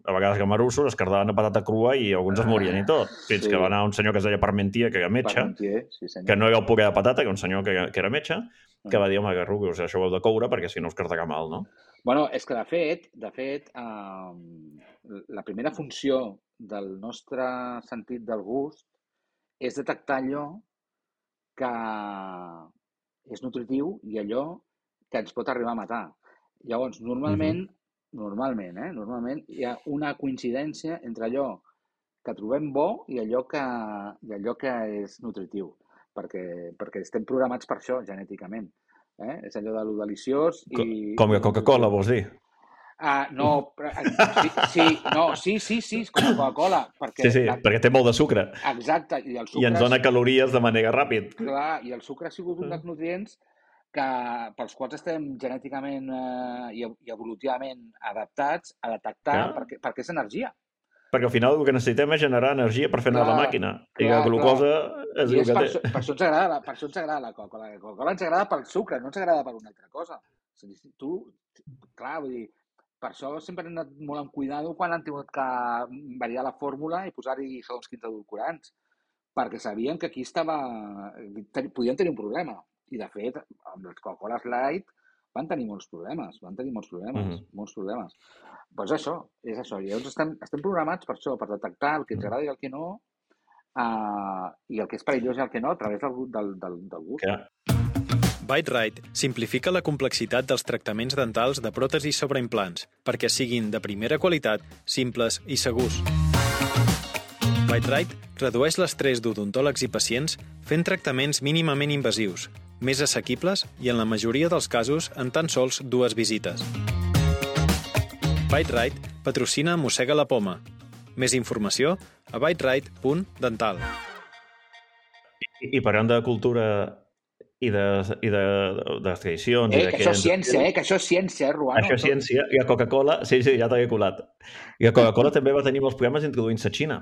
a vegades gamarussos, es cardaven a patata crua i alguns es morien i tot. Fins sí. que va anar un senyor que es deia Parmentier, que era metge, sí, que no era el puré de patata, que era un senyor que, que era metge, que va dir, home, que rugues, això ho heu de coure perquè si no us cardarà mal, no? Bueno, és que de fet, de fet, eh, la primera funció del nostre sentit del gust és detectar allò que és nutritiu i allò que ens pot arribar a matar. Llavors, normalment, uh-huh. normalment, eh, normalment hi ha una coincidència entre allò que trobem bo i allò que, i allò que és nutritiu, perquè, perquè estem programats per això, genèticament. Eh? És allò de lo deliciós i... Com que Coca-Cola, vols dir? Ah, no, sí, sí, no, sí, sí, sí, és com Coca-Cola. Perquè sí, sí, la... perquè té molt de sucre. Exacte. I, el sucre I ens dona calories de manera ràpid. Clar, i el sucre ha sigut un dels nutrients que, pels quals estem genèticament eh, i, i evolutivament adaptats a detectar perquè, perquè és energia. Perquè al final el que necessitem és generar energia per fer anar la màquina. Clar, I la glucosa clar. és el que per té. Això, per, això ens agrada, per això ens agrada la Coca-Cola. La Coca-Cola ens agrada pel sucre, no ens agrada per una altra cosa. Tu, clar, vull dir, per això sempre hem anat molt amb cuidado quan han tingut que variar la fórmula i posar-hi segons quins edulcorants, perquè sabien que aquí estava... podien tenir un problema. I, de fet, amb les Coca-Cola Light van tenir molts problemes, van tenir molts problemes, mm-hmm. molts problemes. Però és això, és això. I llavors estem, estem programats per això, per detectar el que ens agrada i el que no, uh, i el que és perillós i el que no, a través del, del, del, del gust. Yeah. Bite-Right simplifica la complexitat dels tractaments dentals de pròtesis sobre implants perquè siguin de primera qualitat, simples i segurs. Bite-Right redueix l'estrès d'odontòlegs i pacients fent tractaments mínimament invasius, més assequibles i, en la majoria dels casos, en tan sols dues visites. Bite-Right patrocina Mossega la Poma. Més informació a biteright punt dental. I, i parlant de cultura i de, i de, de les tradicions... Eh, i de que això és ciència, eh? Que això és ciència, eh, Ruano? Això és ciència. I a Coca-Cola... Sí, sí, ja t'havia colat. I a Coca-Cola també va tenir molts problemes introduint-se a Xina.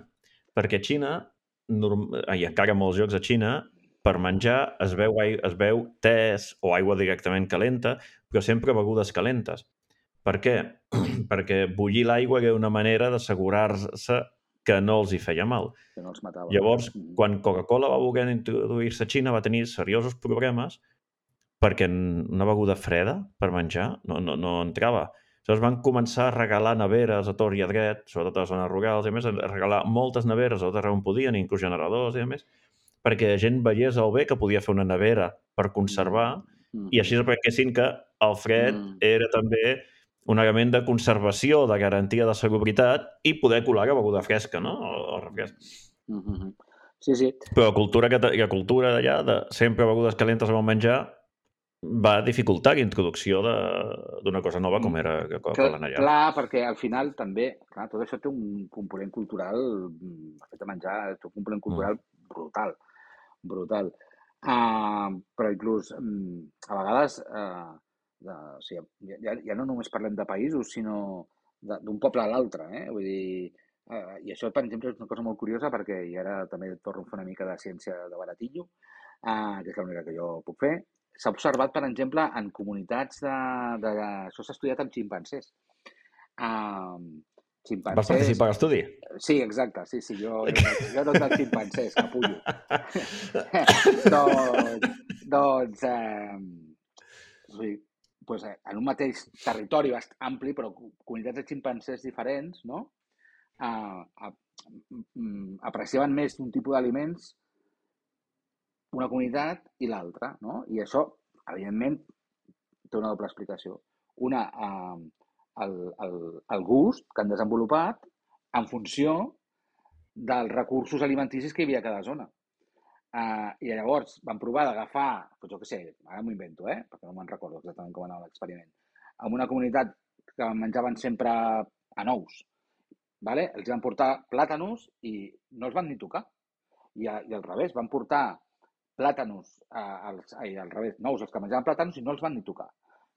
Perquè a Xina, norm... i encara molts llocs a Xina, per menjar es veu, es veu tés o aigua directament calenta, però sempre begudes calentes. Per què? Perquè bullir l'aigua era una manera d'assegurar-se que no els hi feia mal. Que no els matava. Llavors, quan Coca-Cola va voler introduir-se a Xina, va tenir seriosos problemes perquè una beguda freda per menjar no, no, no entrava. Llavors van començar a regalar neveres a tort i a dret, sobretot a les zones rurals, i a més a regalar moltes neveres a tot arreu on podien, inclús generadors i a més, perquè la gent veiés el bé que podia fer una nevera per conservar mm. i així aprenguessin que el fred mm. era també un element de conservació, de garantia de salubritat i poder colar la beguda fresca, no? O refresc. Mm-hmm. Sí, sí. Però la cultura, que, la cultura d'allà, de sempre begudes calentes amb el menjar, va dificultar la introducció d'una cosa nova com era la Coca-Cola allà. Clar, perquè al final també, clar, tot això té un component cultural, el fet de menjar, té un component cultural mm. brutal, brutal. Uh, però inclús, um, a vegades... Uh, De, o sigui, ja, ja no només parlem de països, sinó d'un poble a l'altre. Eh? Vull dir, Uh, I això, per exemple, és una cosa molt curiosa perquè, i ara també torno a fer una mica de ciència de baratillo, uh, que és l'única que jo puc fer. S'ha observat, per exemple, en comunitats de... de això s'ha estudiat amb ximpancers. Uh, ximpancers... Vas participar a l'estudi? Sí, exacte. Sí, sí, jo, jo, jo no dels ximpancers, capullo. doncs, doncs eh, sí, doncs, en un mateix territori bast ampli, però comunitats de ximpancers diferents, no? Uh, uh, apreciaven més d'un tipus d'aliments una comunitat i l'altra, no? I això, evidentment, té una doble explicació. Una, uh, el, el, el gust que han desenvolupat en funció dels recursos alimenticis que hi havia a cada zona. Uh, I llavors van provar d'agafar, doncs jo què sé, ara m'ho invento, eh? Perquè no me'n recordo exactament com anava l'experiment, en una comunitat que menjaven sempre a nous, vale? Els van portar plàtanos i no els van ni tocar. I, a, i al revés, van portar plàtanos, uh, als, ai, al revés, nous els que menjaven plàtanos i no els van ni tocar,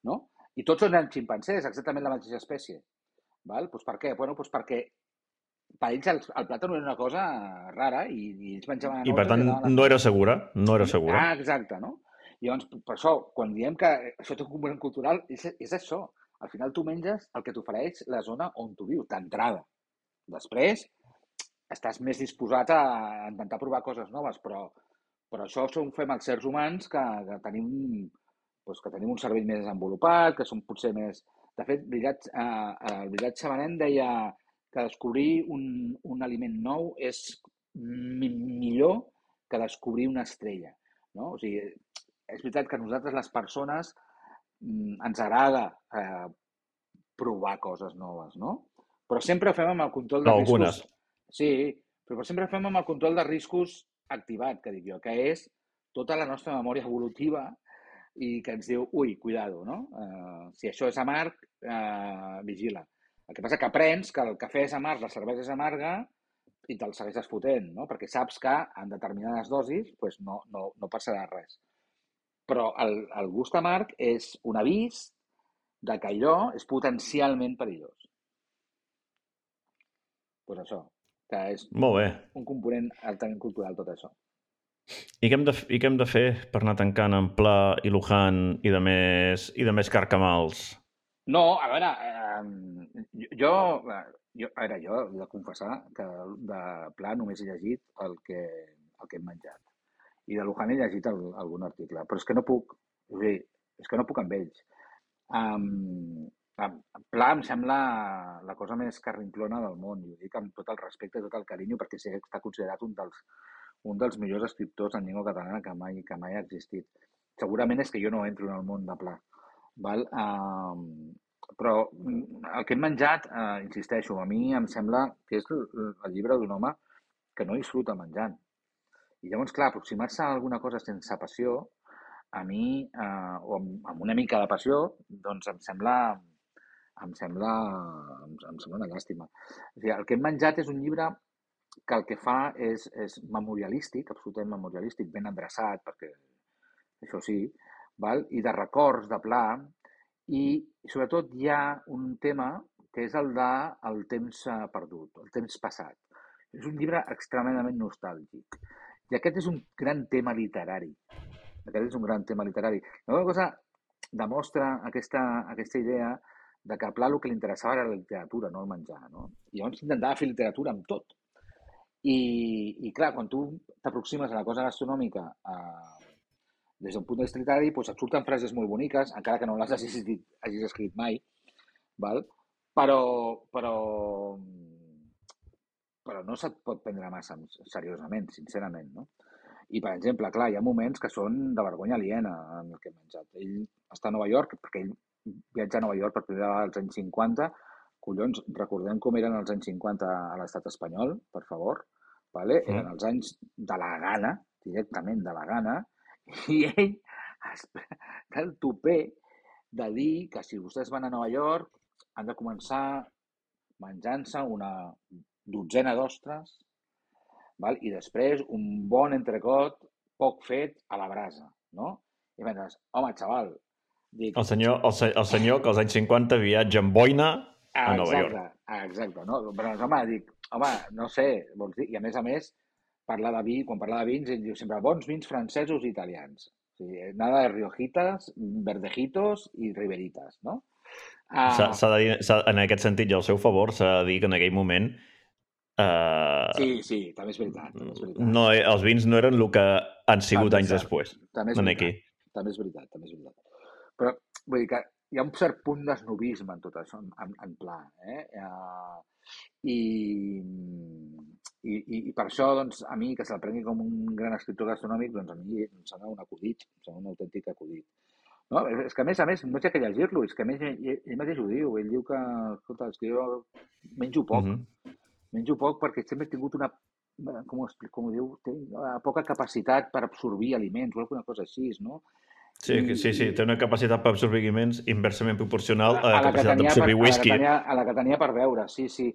no? I tots eren ximpancers, exactament la mateixa espècie. Val? Pues per què? Bueno, pues perquè per ells el, el plàtan era una cosa rara i, i ells menjaven a nous... I per tant no era segura, no era segura. Ah, exacte, no? I llavors, per això, quan diem que això té un component cultural, és, és això. Al final tu menges el que t'ofereix la zona on tu vius, d'entrada. Després, estàs més disposat a intentar provar coses noves, però, però això ho fem els sers humans que, que, tenim, doncs, que tenim un cervell més desenvolupat, que som potser més... De fet, Brillat, eh, el Brillat Xamanent deia que descobrir un, un aliment nou és mi millor que descobrir una estrella, no? O sigui, és veritat que a nosaltres, les persones, ens agrada eh, provar coses noves, no? Però sempre ho fem amb el control de no, riscos... Algunes. Sí, però sempre ho fem amb el control de riscos activat, que dic jo, que és tota la nostra memòria evolutiva i que ens diu, ui, cuidado, no? Uh, si això és amarg, uh, vigila. El que passa que aprens que el cafè és amarg, la cervesa és amarga i te'l segueixes fotent, no? Perquè saps que en determinades dosis pues, no, no, no passarà res. Però el, el gust amarg és un avís de que allò és potencialment perillós. Pues això, que és Molt bé. Un component altament cultural tot això. I què hem de, i què hem de fer per anar tancant en Pla i Luján i de més, i de més carcamals? No, a veure, eh, jo, jo, a veure, jo he de confessar que de Pla només he llegit el que, el que hem menjat. I de Luján he llegit el, algun article, però és que no puc, és, dir, és que no puc amb ells. Um, Pla em sembla la cosa més carrinclona del món, i ho dic amb tot el respecte i tot el carinyo, perquè sé que està considerat un dels, un dels millors escriptors en llengua catalana que mai, que mai ha existit. Segurament és que jo no entro en el món de Pla. Val? Uh, però el que hem menjat, uh, insisteixo, a mi em sembla que és el, el llibre d'un home que no disfruta menjant. I llavors, clar, aproximar-se a alguna cosa sense passió, a mi, uh, o amb, amb una mica de passió, doncs em sembla... em sembla, em, em sembla una llàstima. O sigui, el que hem menjat és un llibre que el que fa és, és memorialístic, absolutament memorialístic, ben endreçat, perquè això sí, val? I de records, de Pla, i sobretot hi ha un tema que és el de el temps perdut, el temps passat. És un llibre extremadament nostàlgic. I aquest és un gran tema literari. Aquest és un gran tema literari. La cosa demostra aquesta, aquesta idea de que a Pla el que li interessava era la literatura, no el menjar, no? I llavors intentava fer literatura amb tot. I, i clar, quan tu t'aproximes a la cosa gastronòmica eh, des d'un punt de vista literari, doncs et surten frases molt boniques, encara que no les hagis, hagis escrit mai, val? Però, però, però no se't pot prendre massa seriosament, sincerament, no? I, per exemple, clar, hi ha moments que són de vergonya aliena en el que hem menjat. Ell està a Nova York, perquè ell viatja a Nova York per primera vegada als anys cinquanta. Collons, recordem com eren els anys cinquanta a l'estat espanyol, per favor. Vale? Mm. Eren els anys de la gana, directament de la gana, i ell té el tupé de dir que si vostès van a Nova York han de començar menjant-se una dotzena d'ostres, val? I després un bon entrecot poc fet a la brasa, no? I penses, home, xaval, dic... El senyor, el, el senyor que als anys cinquanta viatja amb boina a Nova York. Exacte, no? Però, home, dic, home, no sé, vols dir... I a més a més, parlar de vi, quan parla de vins, ell diu sempre bons vins francesos i italians. O sigui, nada de riojitas, verdejitos i riberitas, no? S'ha, Uh, s'ha de dir, s'ha, en aquest sentit, i al seu favor, s'ha de dir que en aquell moment uh, sí, sí, també és veritat, també és veritat. no, els vins no eren el que han sigut També és anys cert, després. També és En veritat, aquí. també és veritat, també és veritat. Però, vull dir que hi ha un cert punt d'esnobisme en tot això, en, en pla, eh? Uh, i, i, i per això, doncs, a mi, que se'l prengui com un gran escriptor gastronòmic, doncs a mi em sembla un acudit, em sembla un autèntic acudit. No? És que, a més a més, no sé què llegir-lo, és que a més ell, ell mateix ho diu, ell diu que, escolta, és que jo menjo poc, uh -huh. menjo poc perquè sempre he tingut una, com ho, explico, com ho diu, tinc poca capacitat per absorbir aliments o alguna cosa així, no? Sí, I, sí, sí, té una capacitat per absorbir aliments inversament proporcional a, a la, a la capacitat d'absorbir whisky. A la, tenia, a la que tenia per beure, sí, sí.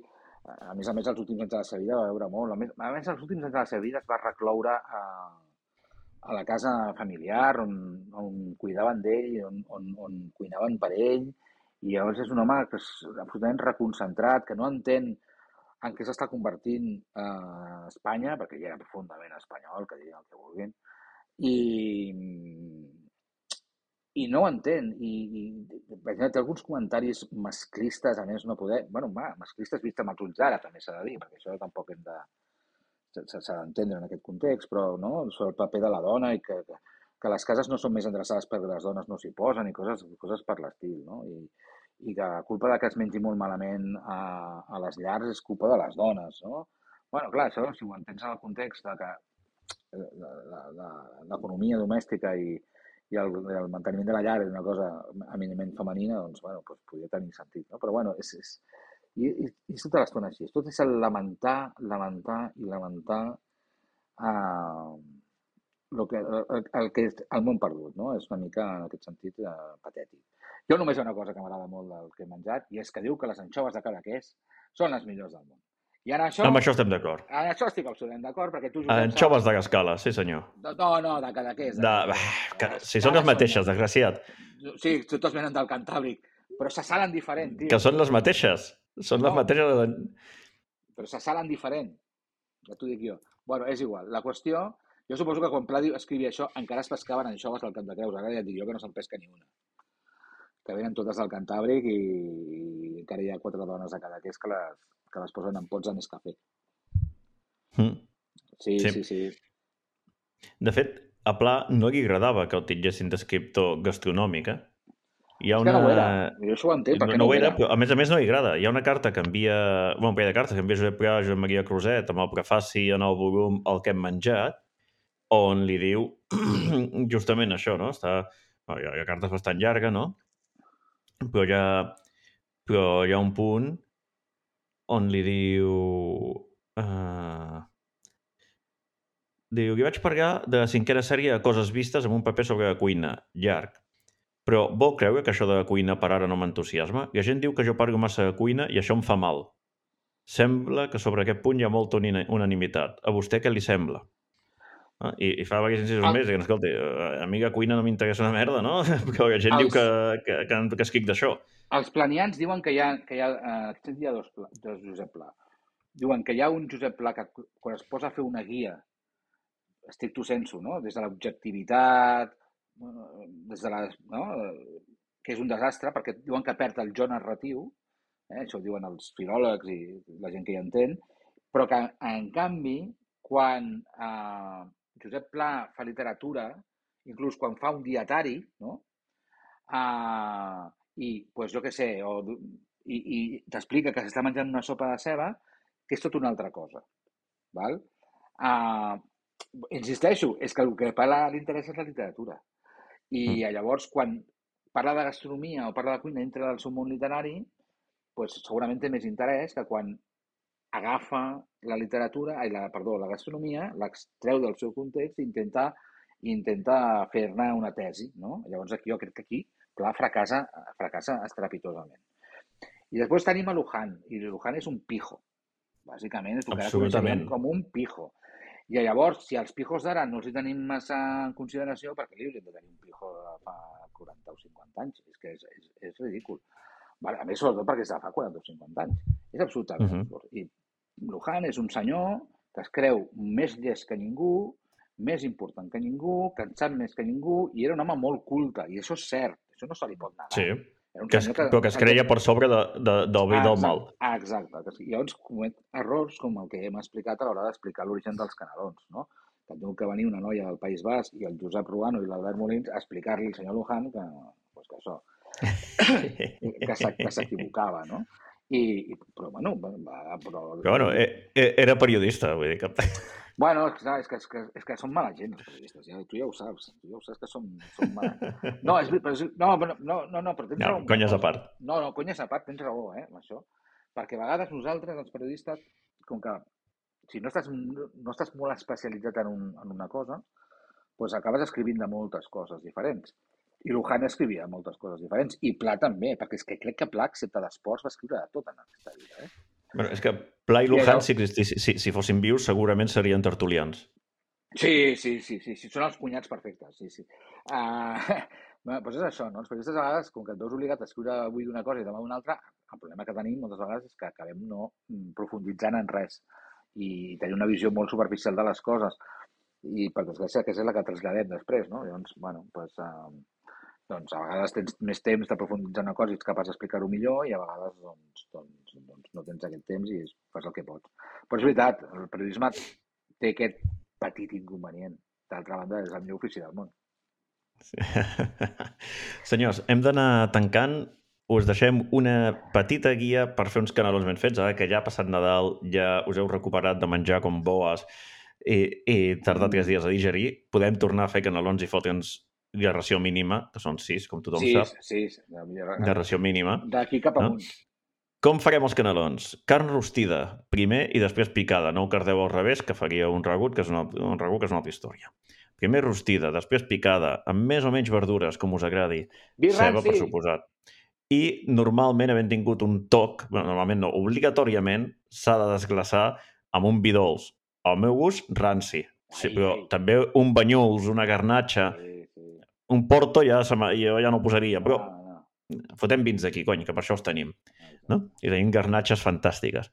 A més a més, els últims anys de la seva vida va beure molt. A més, a més els últims anys de la seva vida es va recloure a, a la casa familiar on, on cuidaven d'ell, on, on, on cuinaven per ell, i llavors és un home que és absolutament reconcentrat, que no entén en què s'està convertint eh, Espanya, perquè ja era profundament espanyol, que diguin el que vulguin, i, i no ho entén. I, i té alguns comentaris masclistes, a més no poder... Bueno, va, masclistes vist amb els ulls d'ara, també s'ha de dir, perquè això tampoc hem de... s'ha d'entendre en aquest context, però no? Sobre el paper de la dona i que, que, que les cases no són més endreçades perquè les dones no s'hi posen i coses, coses per l'estil, no? I, i que la culpa de que es mengi molt malament a, a les llars és culpa de les dones, no? Bueno, clar, això, si ho entens en el context de que l'economia domèstica i, i el, el manteniment de la llar és una cosa eminentment femenina, doncs, bueno, doncs podria tenir sentit, no? Però, bueno, és... és i, i, i és tota l'estona així. Tot és el lamentar, lamentar i lamentar eh, el, que, el, el que és el món perdut, no? És una mica, en aquest sentit, eh, patètic. Jo només hi ha una cosa que m'agrada molt del que he menjat, i és que diu que les anxoves de Cadaqués són les millors del món. I en això... Amb això estem d'acord. En això estic absolutament d'acord, perquè tu... Josep, anxoves de Gascala, sí senyor. No, no, de Cadaqués. De... De... Si són les mateixes, desgraciat. Sí, totes venen del Cantàbric, però se salen diferent, tio. Que són les mateixes. Són no. les mateixes... De... Però se salen diferent. Ja t'ho dic jo. Bueno, és igual. La qüestió... Jo suposo que quan Pla escrivia això encara es pescaven anxoves al Cap de Creus. Ara ja et dic jo que no se'n pesca ni una. Que venen totes del Cantàbric i, i encara hi ha quatre dones a Cadaqués que les, que les posen en pots de Nescafé. Mm. Sí, sí, sí, sí. De fet, a Pla no li agradava que el titllessin d'escriptor gastronòmic, eh? Hi ha és una... que no ho era. Jo això ho entenc, perquè no, no, no ho era. era. Però, a més a més, no li agrada. Hi ha una carta que envia... Bueno, un parell de cartes que envia Josep Pla a Joan Maria Cruzet amb el prefaci en el volum El que hem menjat, on li diu justament això, no? Està... Bueno, hi ha cartes bastant llarga, no? Però hi ha, però hi ha un punt on li diu... Uh... Diu, li vaig parlar de la cinquena sèrie de Coses vistes amb un paper sobre la cuina, llarg. Però vol creure que això de la cuina per ara no m'entusiasma? La gent diu que jo parlo massa de cuina i això em fa mal. Sembla que sobre aquest punt hi ha molta unanimitat. A vostè què li sembla? Ah, i, I fa diversos incisos ah. més, i escolta, a mi la cuina no m'interessa una merda, no? Perquè la gent els... diu que, que, que, que escric d'això. Els planians diuen que hi ha, que hi ha, eh, hi ha dos, dos Josep Pla. Diuen que hi ha un Josep Pla que quan es posa a fer una guia stricto sensu, no? Des de l'objectivitat, des de la, no? Que és un desastre, perquè diuen que perd el jo narratiu, eh? Això ho diuen els filòlegs i la gent que hi entén, però que, en canvi, quan eh, Josep Pla fa literatura, inclús quan fa un dietari, no? Eh, i, pues, jo què sé, o, i, i t'explica que s'està menjant una sopa de ceba, que és tot una altra cosa. Val? Eh, insisteixo, és que el que parla l'interès és la literatura. I mm. llavors, quan parla de gastronomia o parla de cuina dintre del seu món literari, pues, segurament té més interès que quan agafa la literatura, ai, la, perdó, la gastronomia, l'extreu del seu context i intenta, intenta fer-ne una tesi, no? Llavors, aquí, jo crec que aquí Pla fracassa, fracassa estrepitosament. I després tenim a Luján, i Luján és un pijo. Bàsicament, és el que ara coneixem com un pijo. I llavors, si els pijos d'ara no els hi tenim massa en consideració, perquè li hauríem de tenir un pijo de fa quaranta o cinquanta anys. És que és, és, és ridícul. Vale, a més, sobretot perquè és de fa quaranta o cinquanta anys. És absolutament uh-huh. absurd. I Lujan és un senyor que es creu més llest que ningú, més important que ningú, que en sap més que ningú, i era un home molt culte, i això és cert, això no se li pot negar. Sí, que es, que, però que es creia per sobre de, de, del bé i del mal. Ah, exacte. I llavors comet errors com el que hem explicat a l'hora d'explicar l'origen dels canelons, no? Que diu que venia una noia del País Basc i el Josep Ruano i l'Albert Molins a explicar-li al senyor Lujan que, pues, que això, que s'equivocava, no? I, però, bueno... Va, però, però, bueno, era periodista, vull dir que... Bueno, és que, és que, és que són mala gent, els periodistes, ja, tu ja ho saps, tu ja ho saps que són, són mala gent. No, és, però, no, no, no, no, però tens no, raó. Conyes a part. No, no, conyes a part, tens raó, eh, amb això. Perquè a vegades nosaltres, els periodistes, com que si no estàs, no estàs molt especialitzat en, un, en una cosa, doncs acabes escrivint de moltes coses diferents. I Lujan escrivia moltes coses diferents. I Pla també, perquè és que crec que Pla, excepte d'esports, va escriure de tot en aquesta vida. Eh? Bueno, és que Pla i Lujan, si, si, si, si fossin vius, segurament serien tertulians. Sí, sí, sí, sí, sí. Són els cunyats perfectes, sí, sí. Uh, bueno, doncs és això, no? Els periodistes a vegades, com que et veus obligat a escriure avui d'una cosa i demà d'una altra, el problema que tenim moltes vegades és que acabem no profunditzant en res i tenir una visió molt superficial de les coses. I, per desgràcia, que és la que traslladem després, no? Llavors, bueno, doncs... Uh, doncs a vegades tens més temps de profunditzar una cosa i ets capaç d'explicar-ho millor i a vegades doncs, doncs, doncs no tens aquest temps i fas el que pots. Però és veritat, el periodisme té aquest petit inconvenient. D'altra banda, és el millor ofici del món. Sí. Senyors, hem d'anar tancant. Us deixem una petita guia per fer uns canelons ben fets, ara que ja ha passat Nadal, ja us heu recuperat de menjar com boes i, i tardat tres dies a digerir. Podem tornar a fer canelons i fotre'ns de ració mínima, que són sis, com tothom sí, sap. Sí, sí. De ració mínima. D'aquí cap amunt. No? Com farem els canelons? Carn rostida, primer i després picada. No ho cardeu al revés, que faria un ragut, que és una, un ragut que és una altra història. Primer rostida, després picada, amb més o menys verdures, com us agradi. Ceba, per suposat. I normalment, havent tingut un toc, bueno, normalment no, obligatòriament s'ha de desglaçar amb un vi dolç. Al meu gust, ranci. Sí, però ai. També un banyuls, una garnatxa... Sí. Un porto ja, jo ja no ho posaria, però no, no. Fotem vins d'aquí, cony, que per això els tenim. No? I tenim garnatxes fantàstiques.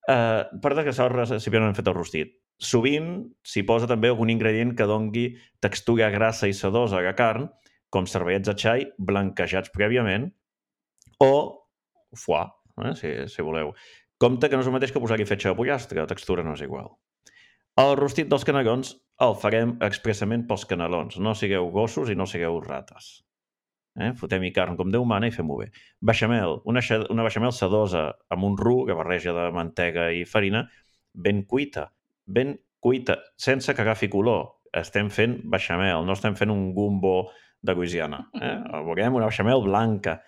Uh, per desgraçar el recipient hem fet el rostit. Sovint s'hi posa també algun ingredient que dongui textura grassa i sedosa a la carn, com cervellets de xai blanquejats prèviament, o foie, eh, si, si voleu. Compte que no és el mateix que posar-hi fetge de pollastre, la textura no és igual. El rostit dels canelons el farem expressament pels canelons. No sigueu gossos i no sigueu rates. Eh? Fotem-hi carn com Déu mana i fem-ho bé. Beixamel, una, una beixamel sedosa amb un roux que barreja de mantega i farina, ben cuita, ben cuita, sense que agafi color. Estem fent beixamel, no estem fent un gumbo de Louisiana. Eh? Volem una beixamel blanca.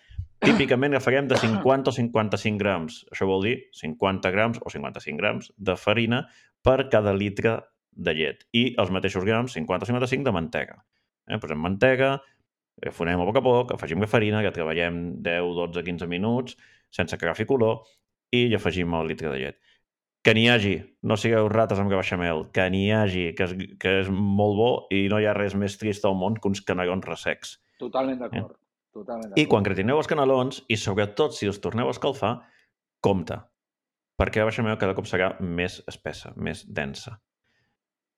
Típicament agafarem de cinquanta o cinquanta-cinc grams. Això vol dir cinquanta grams o cinquanta-cinc grams de farina per cada litre de llet. I els mateixos grams, cinquanta o cinquanta-cinc, de mantega. Eh? Posem mantega, fonem a poc a poc, afegim la farina, que treballem deu, dotze, quinze minuts, sense que agafi color, i hi afegim el litre de llet. Que n'hi hagi, no sigueu rates amb la beixamel, que n'hi hagi, que és, que és molt bo i no hi ha res més trist al món que uns canelons ressecs. Totalment d'acord. Eh? Totalment d'acord. I quan gratineu els canelons, i sobretot si els torneu a escalfar, compte, perquè la beixamel cada cop serà més espessa, més densa.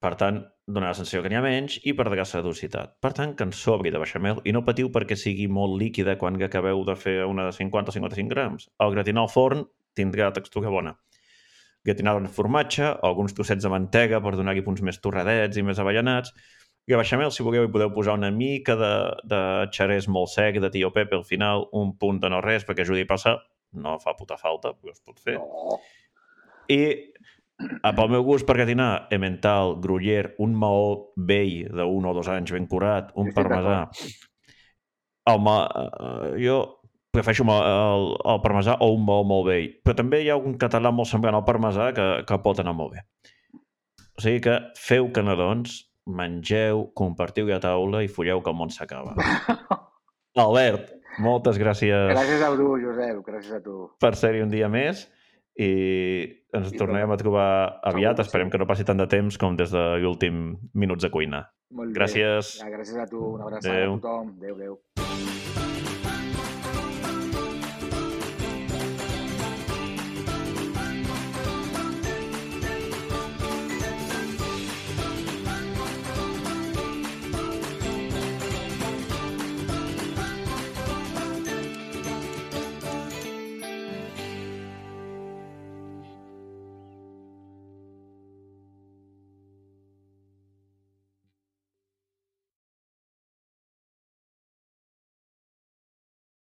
Per tant, donarà la sensació que n'hi ha menys i perdrà la dulcitat. Per tant, que en sobri de beixamel i no patiu perquè sigui molt líquida quan acabeu de fer una de cinquanta o cinquanta-cinc grams. Al gratinar al forn tindrà textura bona. Gratinar el formatge, alguns trossets de mantega per donar-hi punts més torradets i més avellanats. I a beixamel, si voleu, hi podeu posar una mica de, de xerès molt sec, de tio Pepe al final, un punt de no res perquè ajudi a passar. No fa puta falta, però es pot fer. No. I pel meu gust, per gratinar, emmental, gruyère, un maó vell d'un o dos anys ben curat, un parmesà. El ma... Jo prefereixo el, el parmesà o un maó molt vell, però també hi ha un català molt semblant al parmesà que, que pot anar molt bé. O sigui que feu canelons, mengeu, compartiu a taula i folleu que el món s'acaba. Albert, moltes gràcies. Gràcies a tu, Josep, gràcies a tu. Per ser-hi un dia més i ens I tornem a trobar aviat. Esperem que no passi tant de temps com des de l'últim minuts de cuina. Molt bé. Gràcies. Ja, gràcies a tu. Una abraçada a tothom. Adéu, adéu.